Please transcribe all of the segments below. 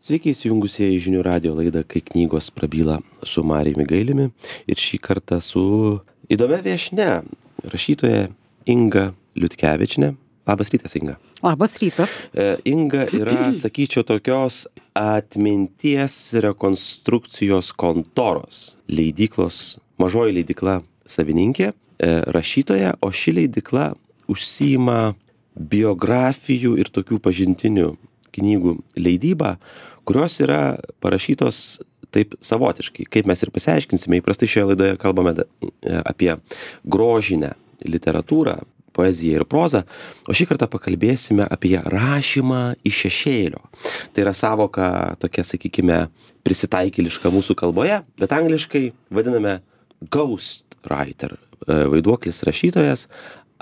Sveiki įsijungusieji žinių radio laidą Kai knygos prabyla su Marijumi Gailiumi ir šį kartą su įdomia viešnia, rašytoja Inga Liutkevičienė. Labas rytas, Inga. Labas rytas. Inga yra, sakyčiau, tokios atminties rekonstrukcijos kontoros, leidyklos, mažoji leidykla savininkė, rašytoja, o ši leidykla užsiima biografijų ir tokių pažintinių knygų leidybą, kurios yra parašytos taip savotiškai. Kaip mes ir pasiaiškinsime, įprastai šioje laidoje kalbame apie grožinę literatūrą, poeziją ir prozą, o šį kartą pakalbėsime apie rašymą iš šešėlio. Tai yra savoka tokia, sakykime, prisitaikėliška mūsų kalboje, bet angliškai vadiname ghost writer, vaiduoklis rašytojas,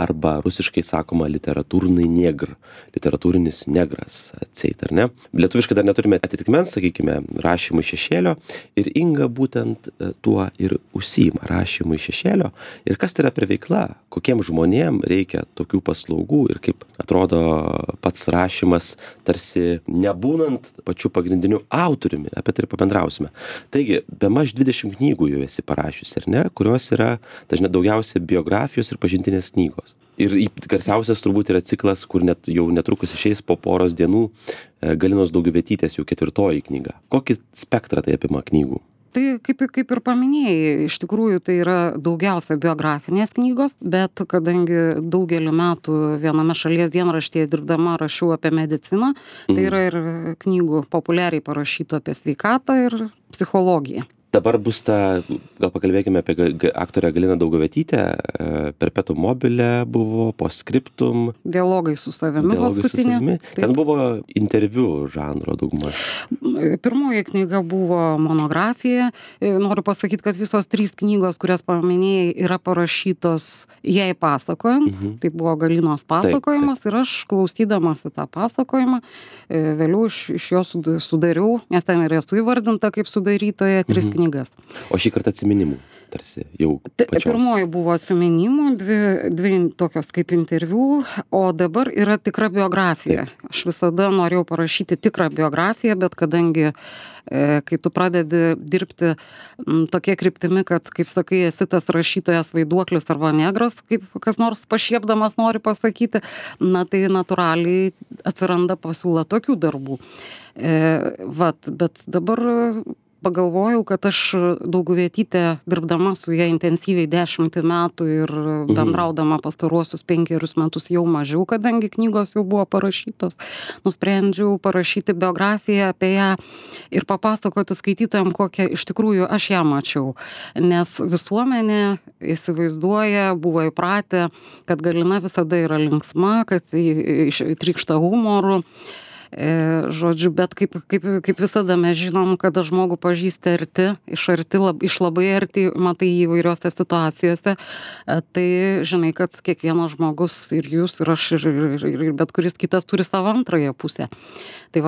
arba rusiškai sakoma literatūrnai negr, literatūrinis negras, atseit, ar ne? Lietuviškai dar neturime atitikmens, sakykime, rašymui šešėlio, ir Inga būtent tuo ir užsiima, rašymui šešėlio. Ir kas tai yra per veikla, kokiem žmonėm reikia tokių paslaugų ir kaip atrodo pats rašymas, tarsi nebūnant pačiu pagrindiniu autoriumi, apie tai ir pabendrausime. Taigi, bemaž 20 knygų jau esi parašiusi, ar ne, kurios yra daugiausiai biografijos ir pažintinės knygos. Ir garsiausias turbūt yra ciklas, kur jau netrukus išeis po poros dienų Galinos Dauguvietytės jau 4 knyga. Kokį spektrą tai apima knygų? Tai kaip ir paminėjai, iš tikrųjų tai yra daugiausia biografinės knygos, bet kadangi daugelį metų viename šalies dienraštyje dirbdama rašiau apie mediciną, tai yra ir knygų populiariai parašytų apie sveikatą ir psichologiją. Dabar bus gal pakalbėkime apie aktorę Galiną Dauguvietytę, Perpetuum mobile buvo, Postscriptum. Dialogai su savimi paskutinė. Ten buvo interviu žanro daugmaž. Pirmoji knyga buvo monografija. Noriu pasakyti, kad visos 3 knygos, kurias paminėjai, yra parašytos jai pasakojant. Tai buvo Galinos pasakojimas. Taip. Ir aš klausydamas į tą pasakojimą, vėliau iš jo sudariau, nes ten ir esu įvardinta kaip sudarytoja 3 knygas. O šį kartą atsiminimų, tarsi jau pačios. Pirmoji buvo atsiminimų, dvi tokios kaip interviu, o dabar yra tikra biografija. Taip. Aš visada norėjau parašyti tikrą biografiją, bet kadangi kai tu pradedi dirbti tokia kryptimi, kad, kaip sakai, esi tas rašytojas vaiduoklis arba negras, kaip kas nors pašiepdamas nori pasakyti, tai natūraliai atsiranda pasiūla tokių darbų. Bet dabar pagalvojau, kad aš Dauguvietytę dirbdama su ja intensyviai 10 metų ir bendraudama pastaruosius 5 metus jau mažiau, kadangi knygos jau buvo parašytos, nusprendžiau parašyti biografiją apie ją ir papasakoti skaitytojams, kokią iš tikrųjų aš ją mačiau. Nes visuomenė įsivaizduoja, buvo įpratę, kad Galina visada yra linksma, kad trykšta humoru. Žodžiu, bet kaip visada mes žinom, kada žmogų pažįsti arti, iš labai arti, matai įvairiose situacijose, tai žinai, kad kiekvienas žmogus ir jūs, ir aš, ir bet kuris kitas turi savo antrąją pusę. Tai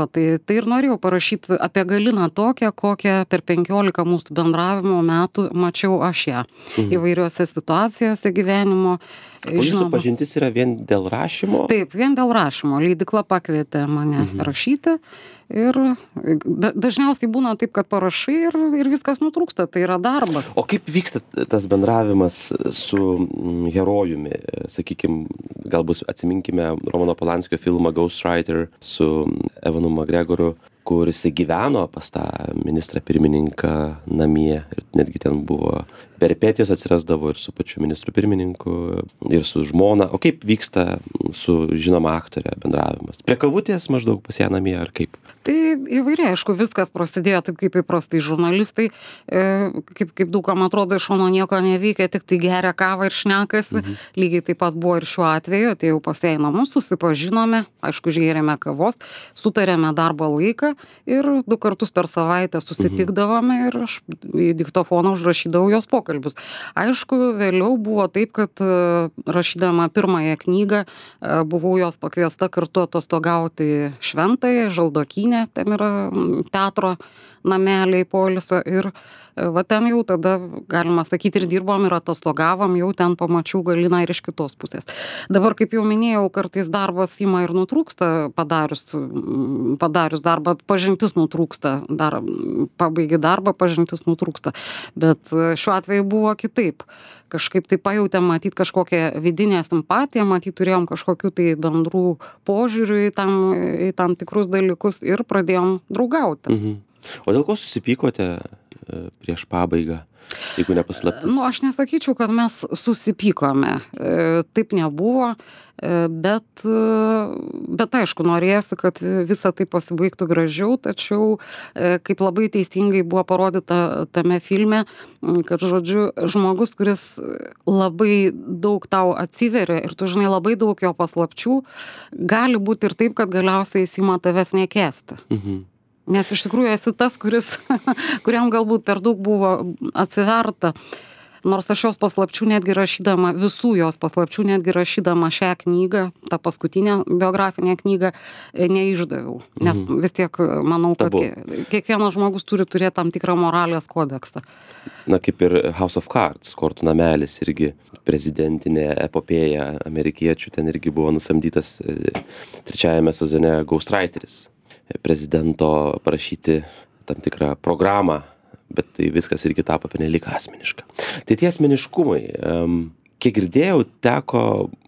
ir norėjau parašyti apie Galiną tokią, kokią per 15 mūsų bendravimo metų mačiau aš ją. Įvairiose situacijose gyvenimo. O jūsų pažintis yra vien dėl rašymo? Taip, vien dėl rašymo. Leidykla pakvietė mane rašyti ir dažniausiai būna taip, kad parašai ir viskas nutrūksta, tai yra darbas. O kaip vyksta tas bendravimas su herojumi? Sakykime, galbūt atsiminkime Romano Polanskio filmą Ghost Writer su Evanu McGregoru, kur jisai gyveno pas tą ministrą pirmininką namie ir netgi ten buvo peripetijos atsirasdavo ir su pačiu ministru pirmininku ir su žmona. O kaip vyksta su žinoma aktorė bendravimas? Prie kavutės maždaug pas ją namie ar kaip? Tai įvairiai, aišku, viskas prasidėjo taip kaip įprastai žurnalistai, kaip daugam atrodo iš šono nieko neveikia, tik tai geria kavą ir šnekasi. Lygiai taip pat buvo ir šiuo atveju, tai jau pas ją į namus susipažinome, aišku, išgėrėme kavos, sutarėme darbo laiką ir 2 kartus per savaitę susitikdavome ir aš į diktofoną užrašydavau jos pokalbį. pokalbius. Aišku, vėliau buvo taip, kad rašydama pirmąją knygą buvau jos pakviesta kartu atostogauti Šventąją, Žaldokynę, ten yra teatro nameliai poilsio ir va ten jau tada, galima sakyti, ir dirbom, ir atostogavom, jau ten pamačiau Galiną ir iš kitos pusės. Dabar, kaip jau minėjau, kartais darbas ima ir nutrūksta, padarius darbą, pažintis nutrūksta, pabaigi darbą, pažintis nutrūksta. Bet šiuo atveju buvo kitaip. Kažkaip tai pajautėm, matyt, kažkokią vidinę simpatiją, matyt, turėjom kažkokių tai bendrų požiūrių į tam tikrus dalykus ir pradėjom draugauti. Mhm. O dėl ko susipykote prieš pabaigą, jeigu nepaslaptis? Aš nesakyčiau, kad mes susipykome. Taip nebuvo, bet aišku, norėjosi, kad visa tai pasibaigtų gražiau, tačiau kaip labai teisingai buvo parodyta tame filme, kad, žodžiu, žmogus, kuris labai daug tau atsiveria ir tu žinai labai daug jo paslapčių, gali būti ir taip, kad galiausiai jis ima tavęs nekęsti. Mhm. Nes iš tikrųjų esi tas, kuriam galbūt per daug buvo atsiverta. Nors aš jos paslapčių netgi rašydama, visų jos paslapčių netgi rašydama šią knygą, tą paskutinę biografinę knygą, neišdaviau. Nes vis tiek manau, kad kiekvienas žmogus turi turėti tam tikrą moralės kodeksą. Na, kaip ir House of Cards, Kortų namelis, irgi prezidentinė epopėja amerikiečių, ten irgi buvo nusamdytas trečiajame sezone ghostwriteris. Prezidento parašyti tam tikrą programą, bet tai viskas irgi tapo pernelyg asmeniška. Tai tie asmeniškumai, kiek girdėjau, teko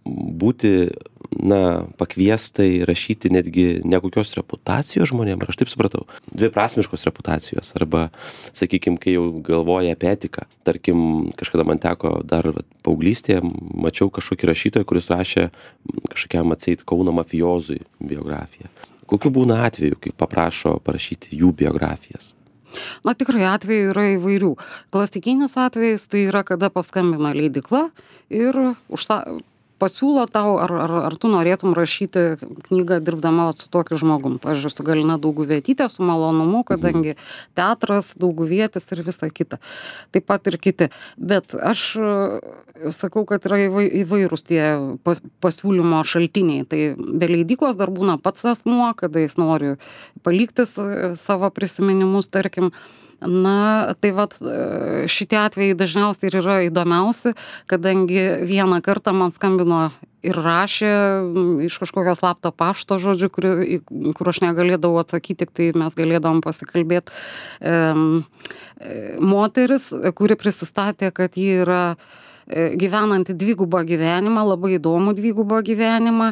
būti, pakviestai rašyti netgi nekokios reputacijos žmonėm, ar aš taip supratau, dviprasmiškos reputacijos, arba, sakykime, kai jau galvoja apie etiką. Tarkim, kažkada man teko dar paauglystėje, mačiau kažkokį rašytoją, kuris rašė kažkokiam atseit Kauno mafijozui biografiją. Kokių būna atvejų, kai paprašo parašyti jų biografijas? Tikrai atvejų yra įvairių. Klasikinis atvejis tai yra, kada paskambina leidykla ir pasiūlo tau, ar tu norėtum rašyti knygą dirbdama su tokiu žmogum. Pavyzdžiui, su Galina Dauguvietyte, su malonumu, kadangi teatras, Dauguvietis ir visa kita. Taip pat ir kiti. Bet aš sakau, kad yra įvairūs tie pasiūlymo šaltiniai. Tai be leidyklos dar būna pats asmuo, kada jis nori palikti savo prisiminimus, tarkim. Tai vat šitie atvejai dažniausiai ir yra įdomiausi, kadangi vieną kartą man skambino ir rašė iš kažkokio slapto pašto, žodžiu, kur aš negalėdavau atsakyti, tik tai mes galėdavom pasikalbėti. Moteris, kuri prisistatė, kad ji yra gyvenanti dvigubą gyvenimą, labai įdomų dvigubą gyvenimą,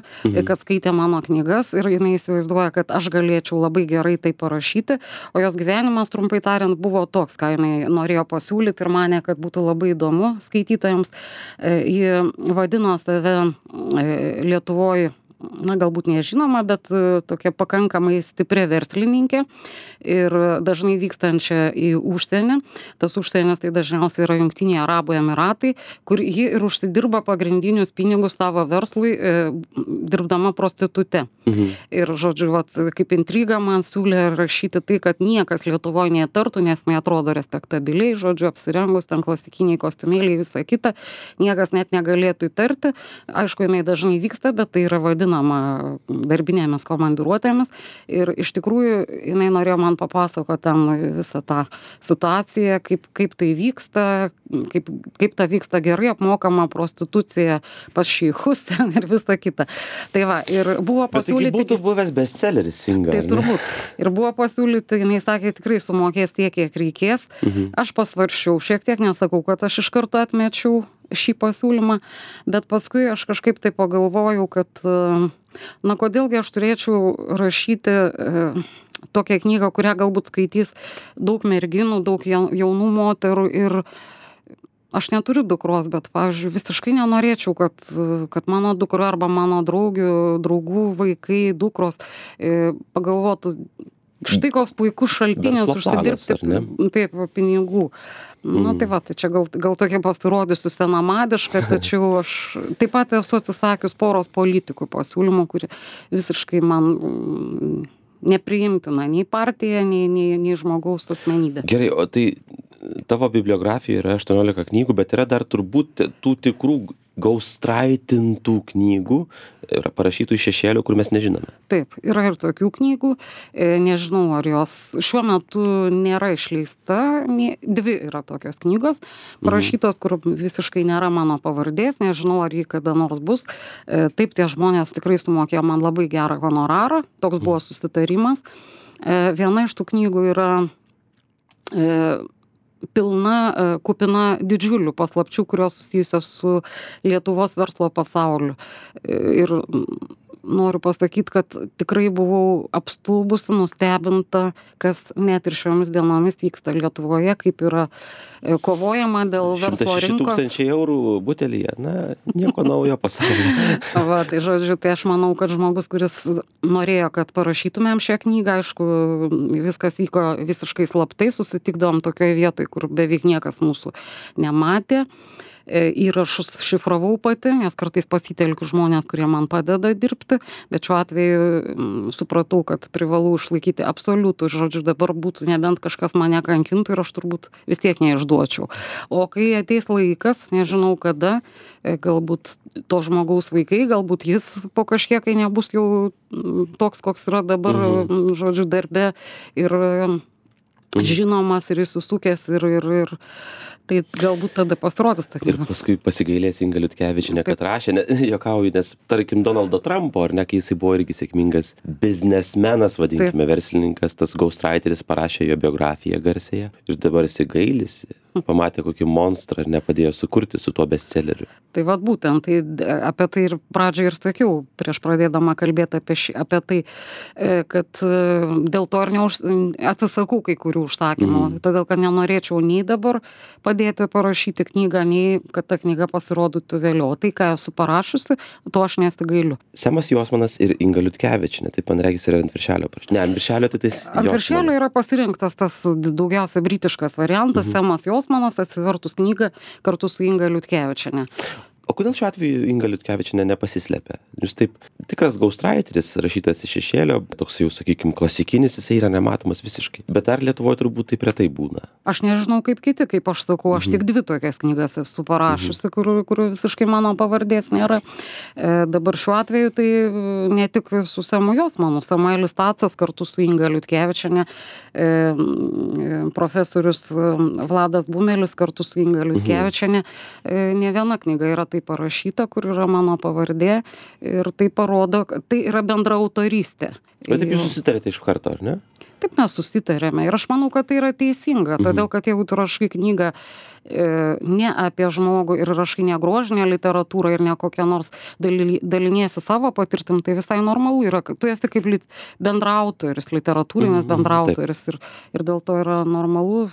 kas skaitė mano knygas ir jinai įsivaizduoja, kad aš galėčiau labai gerai tai parašyti, o jos gyvenimas, trumpai tariant, buvo toks, ką jinai norėjo pasiūlyti ir manė, kad būtų labai įdomu skaitytojams. Ji vadino save Lietuvoje, galbūt nežinoma, bet tokia pakankamai stipri verslininkė ir dažnai vykstančia į užsienį. Tas užsienis tai dažniausiai yra Jungtiniai Arabų Emiratai, kur ji ir užsidirba pagrindinius pinigus savo verslui, dirbdama prostitute. Ir, žodžiu, kaip intriga man siūlė rašyti tai, kad niekas Lietuvoje neįtartų, nes neatrodo respektabiliai, žodžiu, apsirengus ten klasikiniai kostiumėliai, visa kita, niekas net negalėtų įtarti. Aišku, jinai dažnai vyksta, bet tai yra vadinama darbinėmis komandiruotėmis ir iš tikrųjų jinai norėjo man papasakoti ten visą tą situaciją, kaip tai vyksta, kaip ta vyksta gerai apmokama prostitucija pas šeichus ten ir visa kita. Tai va, ir buvo pasiūlyti... Bet būtų buvęs bestselleris, Inga. Tai turbūt. Ir buvo pasiūlyti, jinai sakė, tikrai sumokės tiek, kiek reikės. Aš pasvaršiau, šiek tiek nesakau, kad aš iš karto atmečiau šį pasiūlymą, bet paskui aš kažkaip tai pagalvojau, kad kodėlgi aš turėčiau rašyti tokią knygą, kurią galbūt skaitys daug merginų, daug jaunų moterų ir aš neturiu dukros, bet, pavyzdžiui, visiškai nenorėčiau, kad mano dukra arba mano draugų vaikai, dukros pagalvotų, štai koks puikus šaltinis užsidirbti taip, pinigų. Tai va, tai čia gal tokia pasirodysiu senamadiška, tačiau aš taip pat esu atsisakius poros politikų pasiūlymų, kurie visiškai man nepriimtina nei partija, nei žmogaus asmenybė. Gerai, o tai tavo bibliografijoje yra 18 knygų, bet yra dar turbūt tų tikrų gaustraitintų knygų, yra parašytų iš šešėlių, kur mes nežinome. Taip, yra ir tokių knygų. Nežinau, ar jos šiuo metu nėra išleista. Dvi yra tokios knygos, parašytos, kur visiškai nėra mano pavardės. Nežinau, ar jį kada nors bus. Taip, tie žmonės tikrai sumokėjo man labai gerą honorarą. Toks buvo susitarimas. Viena iš tų knygų yra kupina didžiulių paslapčių, kurios susijusios su Lietuvos verslo pasauliu. Ir noriu pasakyti, kad tikrai buvau apstulbusi, nustebinta, kas net ir šiomis dienomis vyksta Lietuvoje, kaip yra kovojama dėl verslo 106 rinkos. 000 eurų butelyje, na, nieko naujo pasaulyje. Va, tai žodžiu, tai aš manau, kad žmogus, kuris norėjo, kad parašytumėm šią knygą, aišku, viskas vyko visiškai slaptai, susitikdavom tokioje vietoje, kur beveik niekas mūsų nematė. Įrašus šifravau pati, nes kartais pasitelkiu žmonės, kurie man padeda dirbti, bet šiuo atveju supratau, kad privalau išlaikyti absoliutų, žodžiu, dabar būtų nebent kažkas mane kankintų ir aš turbūt vis tiek neišduočiau. O kai ateis laikas, nežinau kada, galbūt to žmogaus vaikai, galbūt jis po kažkiek, kai nebus jau toks, koks yra dabar, žodžiu, darbe ir žinomas ir įsusukęs ir tai galbūt tada pasirodys ta Ir knyga. paskui pasigailės Inga Liutkevičienė, kad rašė, juokauju, nes tarkim Donaldo Trumpo, ar ne, kai jisai buvo irgi sėkmingas biznesmenas, vadinkime, verslininkas, tas ghostwriteris parašė jo biografiją garsėje ir dabar jisai gailisi, pamatė kokį monstrą ir nepadėjo sukurti su tuo bestselleriu. Tai vat būtent, tai apie tai ir pradžioj ir sakiau, prieš pradėdama kalbėti apie tai, kad dėl to ir atsisakau kai kurių užsakymų, todėl kad nenorėčiau nei dabar padėti parašyti knygą, nei kad ta knyga pasirodytų vėliau. Tai, ką esu parašiusi, to aš nesigailiu. Semas Josmanas ir Inga Liutkevičienė, tai man regis yra ant viršelio. Ne, ant viršelio tai tais Ant viršelio yra pasirinktas tas daugiausia britiškas variantas, Semas Josmanas atsivertus knygą kartu su Inga Liutkevičienė. O kodėl šiuo atveju Inga Liutkevičienė nepasislepia? Jūs taip, tikras ghostwriteris, rašytas iš šešėlio, toks jau, sakykime, klasikinis, jisai yra nematomas visiškai. Bet ar Lietuvoje turbūt taip retai būna? Aš nežinau kaip kiti, kaip aš sakau, aš tik 2 tokias knygas esu parašiusi, kur visiškai mano pavardės nėra. Dabar šiuo atveju tai ne tik su Semu Josmanu, Samuelis Tacas kartu su Inga Liutkevičienė, profesorius Vladas Bumelis kartu su Inga Liutkevičienė. Ne viena knyga yra taip parašyta, kur yra mano pavardė ir tai parodo, kad tai yra bendra autorystė. Bet taip jūs susitarėte iš karto, ar ne? Taip mes susitarėme ir aš manau, kad tai yra teisinga, todėl kad jeigu tu rašai knygą ne apie žmogų ir rašai ne grožinę literatūrą ir ne kokią nors daliniesi savo patirtim, tai visai normalu yra, kad tu esi kaip bendraautoris, literatūrinis bendraautoris ir dėl to yra normalu.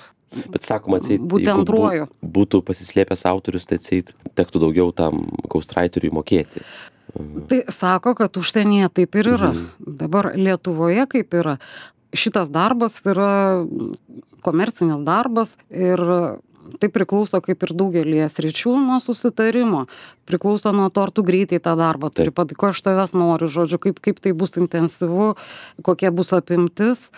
Bet sakoma, atseit, jeigu būtų pasislėpęs autorius, tai atseit tektų daugiau tam ghostwriteriui mokėti. Tai sako, kad užsienyje taip ir yra. Dabar Lietuvoje kaip yra. Šitas darbas yra komercinis darbas ir tai priklauso kaip ir daugelį sričių nuo susitarimo. Priklauso nuo to, ar tu greitai tą darbą turi, ko aš tavęs noriu, žodžiu, kaip tai bus intensyvu, kokia bus apimtis.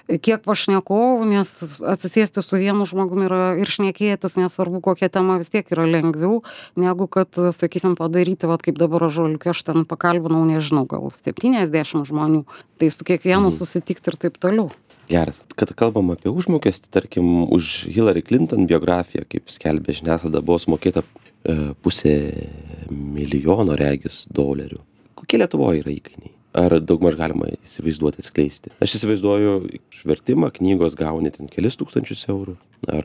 Kiek pašnekovų, nes atsisėsti su vienu žmogumi yra ir šnekėtis, nesvarbu kokia tema, vis tiek yra lengviau, negu kad, sakysim, padaryti, vat kaip dabar Ąžuoliuke, aš ten pakalbinau, nežinau, gal 70 žmonių, tai su kiekvienu susitikti ir taip toliau. Geras. Kad kalbam apie užmokestį, tarkim, už Hillary Clinton biografiją, kaip skelbė žiniasklaida, buvo sumokėta $500,000 regis dolerių. Kokie Lietuvoje yra įkainiai? Ar daugmaž galima įsivaizduoti, atskleisti? Aš įsivaizduoju, vertimą knygos gauni ten kelis tūkstančius eurų.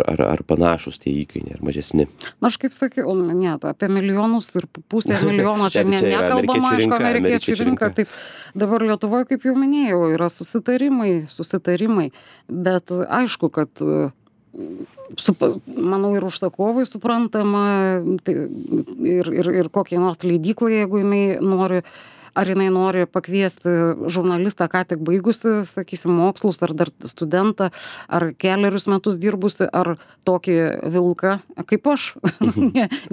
Ar panašus tie įkainiai, ar mažesni? Na, aš kaip sakiau, ne, apie milijonus ir $500,000 čia nekalbama, aišku, amerikiečių rinka. Taip, dabar Lietuvoje, kaip jau minėjau, yra susitarimai, bet aišku, kad manau ir užsakovui suprantama ir kokiai nors leidyklai, jeigu jinai nori ar jinai nori pakviesti žurnalistą ką tik baigusi, sakysim, mokslus, ar dar studentą, ar kelerius metus dirbusi, ar tokį vilką, kaip aš.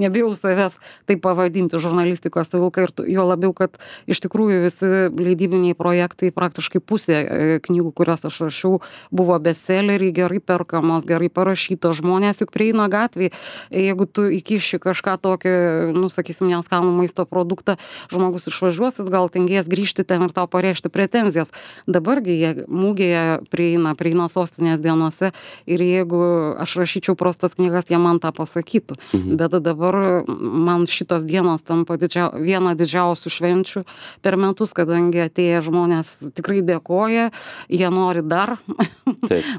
Nebijau savęs taip pavadinti žurnalistikos vilką, ir jo labiau, kad iš tikrųjų visi leidybiniai projektai, praktiškai pusė knygų, kurias aš rašiau, buvo bestselleriai, gerai perkamos, gerai parašytos, žmonės juk prieina gatvėj, jeigu tu įkiši kažką tokį, nu, sakysim, neskanų maisto produktą, žmogus išvažiuos, jis gal tingės grįžti ten ir tau pareikšti pretenzijas. Dabargi jie mūgėje prieina sostinės dienose ir jeigu aš rašyčiau prastas knygas, jie man tą pasakytų. Bet dabar man šitos dienos tampa viena didžiausių švenčių per metus, kadangi atėję žmonės tikrai dėkoja, jie nori dar,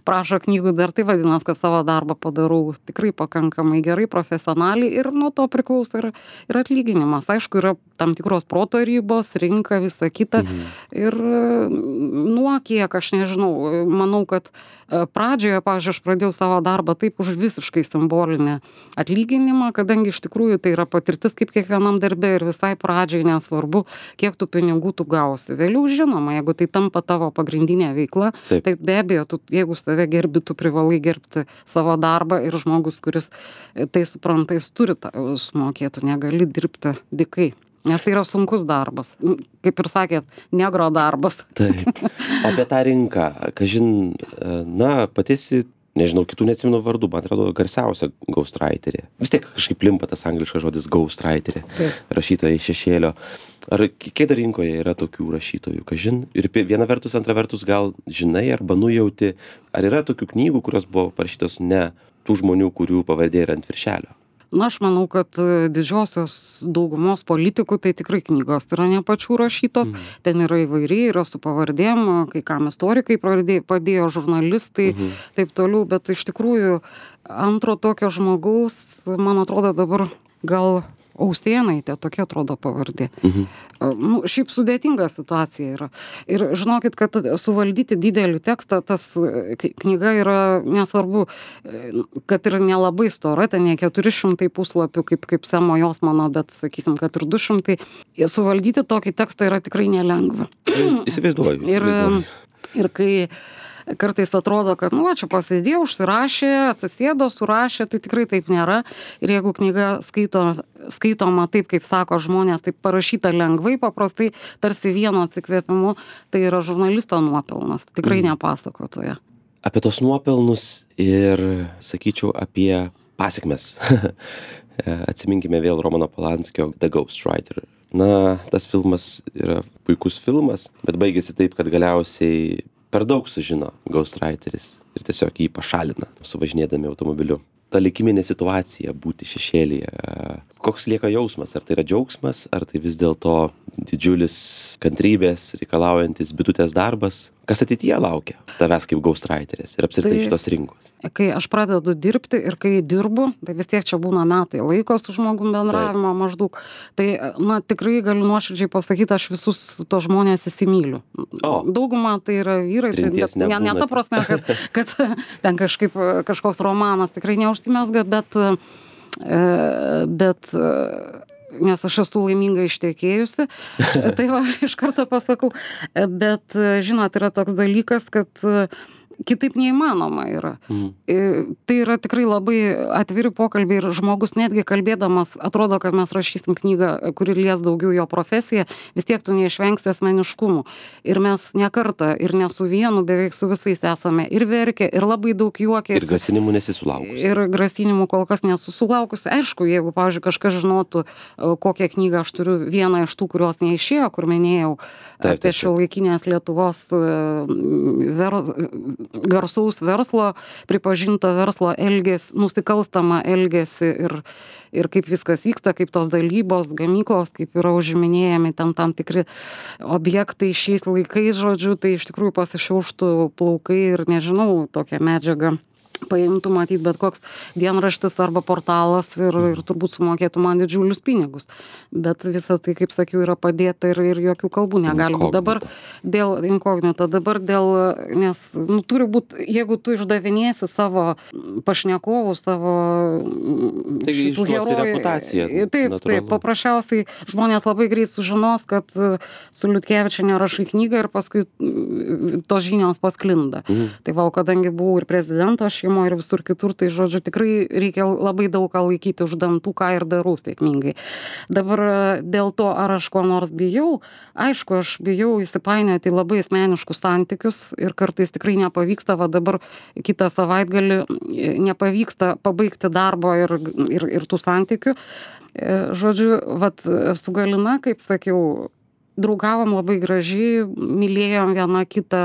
prašo knygų dar, tai vadinasi, kad savo darbą padarau tikrai pakankamai gerai, profesionaliai ir nuo to priklauso ir atlyginimas. Aišku, yra tam tikros proto ribos, rinka, visa kita. Ir nuo kiek, aš nežinau, manau, kad pradžioje, pavyzdžiui, aš pradėjau savo darbą taip už visiškai simbolinį atlyginimą, kadangi iš tikrųjų tai yra patirtis kaip kiekvienam darbe ir visai pradžiai nesvarbu, kiek tų pinigų tu gausi. Vėliau, žinoma, jeigu tai tampa tavo pagrindinė veikla, tai be abejo, jeigu save gerbi, tu privalai gerbti savo darbą ir žmogus, kuris tai supranta, jis turi sumokėti, negali dirbti dykai. Nes tai yra sunkus darbas. Kaip ir sakėt, negro darbas. Taip. O apie tą rinką, kažin, na, patisi, nežinau, kitų neatsimenu vardų, man atrodo, garsiausia ghostwriterė. Vis tiek kažkaip limpa tas angliškas žodis ghostwriterė, rašytoja iš šešėlio. Ar kiek dar rinkoje yra tokių rašytojų, kažin? Ir viena vertus, antra vertus, gal žinai arba nujauti, ar yra tokių knygų, kurios buvo parašytos ne tų žmonių, kurių pavardė yra ant viršelio? Na, aš manau, kad didžiosios daugumos politikų tai tikrai knygos yra ne pačių rašytos, ten yra įvairiai, yra su pavardėm, kai kam istorikai padėjo, žurnalistai, taip toliau, bet iš tikrųjų antro tokio žmogaus, man atrodo dabar gal Ausėnaitė, tokia atrodo pavardė. Nu, šiaip sudėtinga situacija yra. Ir žinokit, kad suvaldyti didelį tekstą, tas knyga yra nesvarbu, kad ir nelabai stora, ten ne 400 puslapių, kaip Semo Josmano, bet sakysim, kad ir 200. Suvaldyti tokį tekstą yra tikrai nelengva. Įsivaizduoju. Ir kai kartais atrodo, kad, nu, čia pasėdėjo, užsirašė, atsisėdo, surašė, tai tikrai taip nėra. Ir jeigu knyga skaitoma taip, kaip sako žmonės, taip parašyta lengvai, paprastai, tarsi vieno atsikvėpimu, tai yra žurnalisto nuopelnas, tikrai ne pasakotoja. Apie tos nuopelnus ir, sakyčiau, apie pasekmes. Atsiminkime vėl Romano Polanskio The Ghostwriter. Na, tas filmas yra puikus filmas, bet baigėsi taip, kad galiausiai per daug sužino ghostwriteris ir tiesiog jį pašalina, suvažinėdami automobiliu. Ta likiminė situacija būti šešėlyje. Koks lieka jausmas? Ar tai yra džiaugsmas, ar tai vis dėlto didžiulis kantrybės reikalaujantis bitutės darbas? Kas ateityje laukia tavęs kaip ghostwriteris ir apskritai šitos rinkos? Kai aš pradedu dirbti ir kai dirbu, tai vis tiek čia būna metai laiko su žmogum bendravimo maždaug. Tai, na, tikrai galiu nuoširdžiai pasakyti, aš visus to žmonės įsimyliu. Dauguma tai yra vyrai, tai ne ta prasme, kad ten kažkoks romanas tikrai neužsimezga, bet nes aš esu laiminga ištekėjusi, tai va, iš karto pasakau, bet, žinot, yra toks dalykas, kad kitaip neįmanoma yra. Tai yra tikrai labai atviri pokalbiai ir žmogus netgi kalbėdamas, atrodo, kad mes rašysim knygą, kuri lies daugiau jo profesiją, vis tiek tu neišvengsi asmeniškumų. Ir mes ne kartą ir ne su vienu, beveik su visais esame ir verkę, ir labai daug juokės. Ir grasinimų nesisulaukusi. Ir grasinimų kol kas nesusilaukusi. Aišku, jeigu, pavyzdžiui, kažkas žinotų, kokią knygą aš turiu, vieną iš tų, kurios neišėjo, kur minėjau apie šiuolaikinės Lietuvos garsaus verslo, pripažinto verslo elgesį, nusikalstamą elgesį ir kaip viskas vyksta, kaip tos dalybos, gamyklos, kaip yra užiminėjami tam tikri objektai šiais laikais, žodžiu, tai iš tikrųjų pasišiauštų plaukai ir nežinau, tokią medžiagą paimtų matyt bet koks dienraštis arba portalas ir turbūt sumokėtų man didžiulius pinigus. Bet visa tai, kaip sakiau, yra padėta ir jokių kalbų negali būti. Dabar dėl inkognito, nes turi būti, jeigu tu išdavinėsi savo pašnekovų, savo šitų herojų. Taip, paprasčiausiai žmonės labai greit sužinos, kad su Liutkevičiene rašai knygą ir paskui tos žinios pasklinda. Tai va, kadangi buvau ir prezidento šeimoje ir visur kitur, tai žodžiu, tikrai reikia labai daug ką laikyti už dantų, ką ir darau sėkmingai. Dabar dėl to, ar aš ko nors bijau, aišku, aš bijau įsipainioti į labai asmeniškus santykius ir kartais tikrai nepavyksta, va dabar kitą savaitgalį nepavyksta pabaigti darbo ir tų santykių. Žodžiu, vat su Galina, kaip sakiau, draugavom labai gražiai, mylėjom vieną kitą,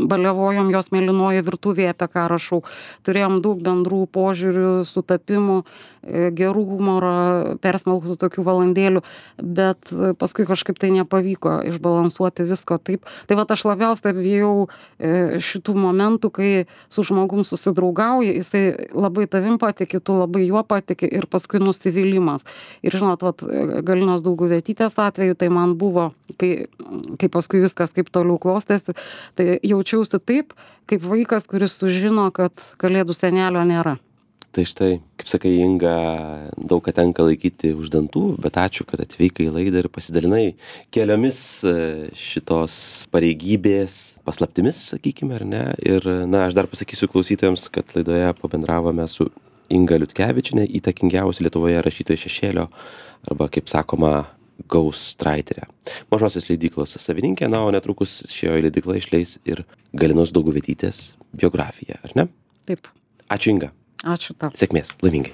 baliavojom jos mėlynoje virtuvėje, apie ką rašau. Turėjom daug bendrų požiūrių, sutapimų, gerų humoro, persmelktų tokių valandėlių, bet paskui kažkaip tai nepavyko išbalansuoti visko taip. Tai vat aš labiausiai bijau šitų momentų, kai su žmogum susidraugauji, jisai labai tavim patiki, tu labai juo patiki ir paskui nusivylimas. Ir žinot, vat Galinos Dauguvietytės atveju tai man buvo, kai paskui viskas kaip toliau klostėsi, tai jaučiausi taip, kaip vaikas, kuris sužino, kad kalėdų senelio nėra. Tai štai, kaip sakai, Inga, daug ką tenka laikyti už dantų, bet ačiū, kad atvykai į laidą ir pasidalinai keliomis šitos pareigybės paslaptimis, sakykime, ar ne. Ir, aš dar pasakysiu klausytojams, kad laidoje pabendravome su Inga Liutkevičiene, įtakingiausia Lietuvoje rašytoja šešėlio, arba, kaip sakoma, ghostwriterė. Mažosios leidyklos savininkė, o netrukus šioje leidykla išleis ir Galinos Dauguvietytės biografiją, ar ne? Taip. Ačiū, Inga. Ačiū tau. Sėkmės, laimingai.